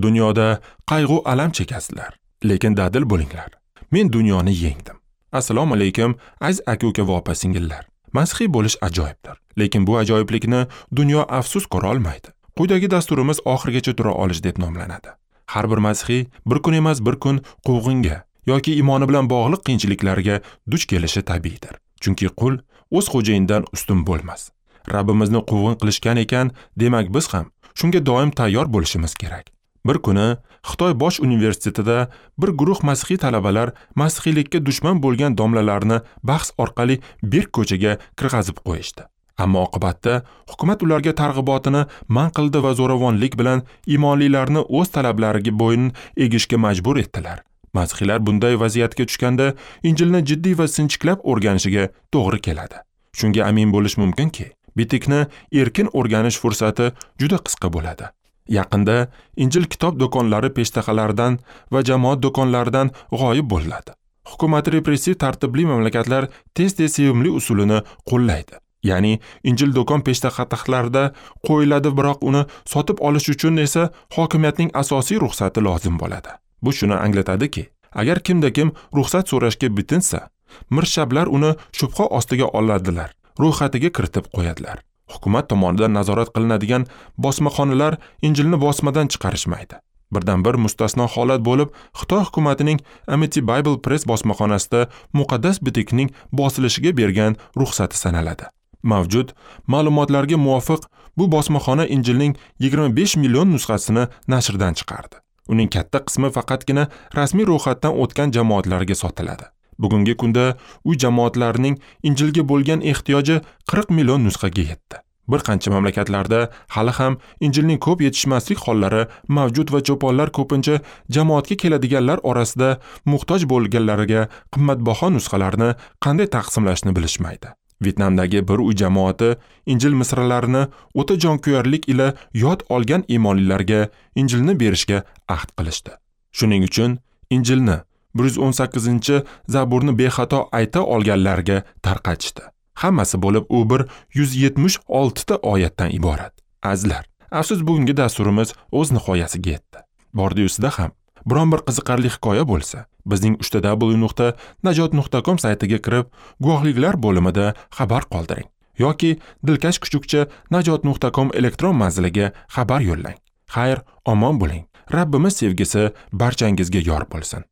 Dunyoda qayg'u alam chekasizlar, lekin dadil bo'linglar. Men dunyoni yengdim. Assalomu alaykum, aziz aka-uka va opa-singillar. Masihiy bo'lish ajoyibdir, lekin bu ajoyiblikni dunyo afsus ko'ra olmaydi. Quyidagi dasturimiz oxirigacha tura olish deb nomlanadi. Har bir masihiy bir kun emas bir kun quvg'inga yoki iymoni bilan bog'liq qiyinchiliklarga duch kelishi tabiiydir. Chunki qul o'z xo'jayinidan ustun bo'lmas. Rabbimizni quvg'in qilishgan ekan, demak biz ham shunga doim tayyor bo'lishimiz kerak. Bir kuni Xitoy bosh universitetida bir guruh masihiy talabalar masihiylikka dushman bo'lgan domlalarni bahs orqali berk ko'chaga kirg'azib qo'yishdi. Ammo oqibatda hukumat ularga targ'ibotini man qildi va zo'ravonlik bilan iymonlilarni o'z talablariga bo'yin egishga majbur etdilar. Masihiylar bunday vaziyatga tushganda Injilni jiddiy va sinchiklab o'rganishiga to'g'ri keladi. Shunga amin bo'lish mumkinki, bitikni erkin o'rganish fursati juda qisqa bo'ladi. Yaqinda Injil kitob do'konlari peshtaxalaridan va jamoat do'konlaridan g'oyib bo'ladi. Hukumat repressiv tartibli mamlakatlar tez-tez sevimli usulini qo'llaydi. Ya'ni Injil do'kon peshtaxtalarida qo'yiladi, biroq uni sotib olish uchun esa hokimiyatning asosiy ruxsati lozim bo'ladi. Bu shuni anglatadiki, agar kimda-kim ruxsat so'rashga bitinsa, mirshablar uni shubha ostiga oladilar, ro'yxatiga kiritib qo'yadilar. Hukumat tomonidan nazorat qilinadigan bosmaxonalar Injilni bosmadan chiqarishmaydi. Birdan bir mustasno holat bo'lib, Xitoy hukumatining Amity Bible Press bosmaxonasida muqaddas bitikning bosilishiga bergan ruxsati sanaladi. Mavjud ma'lumotlarga muvofiq, bu bosmaxona Injilning 25 million nusxasini nashrdan chiqardi. Uning katta qismi faqatgina rasmiy ro'yxatdan o'tgan jamoatlarga sotiladi. Bugungi kunda uy jamoatlarining Injilga bo'lgan ehtiyoji 40 million nusxaga yetdi. Bir qancha mamlakatlarda hali ham Injilning ko'p yetishmaslik hollari mavjud va cho'ponlar ko'pincha jamoatga keladiganlar orasida muhtoj bo'lganlarga qimmatbaho nusxalarni qanday taqsimlashni bilishmaydi. Vyetnamdagi bir uy jamoati Injil misralarini o'ta jonkuyarlik ila yod olgan iymonlilarga Injilni berishga ahd qilishdi. Shuning uchun Injilni 118-Zaburni bexato ayta olganlarga tarqatishdi. Hammasi bo'lib u bir 176 ta oyatdan iborat. Azizlar, afsus bugungi dasturimiz o'z nihoyasiga yetdi. Bordi-yusida ham biron bir qiziqarli hikoya bo'lsa, bizning www.najot.com saytiga kirib, guvohliklar bo'limida xabar qoldiring yoki dilkash kuchukcha najot.com elektron manziliga xabar yo'llang. Xayr, omon bo'ling. Rabbimiz sevgisi barchangizga yor bo'lsin.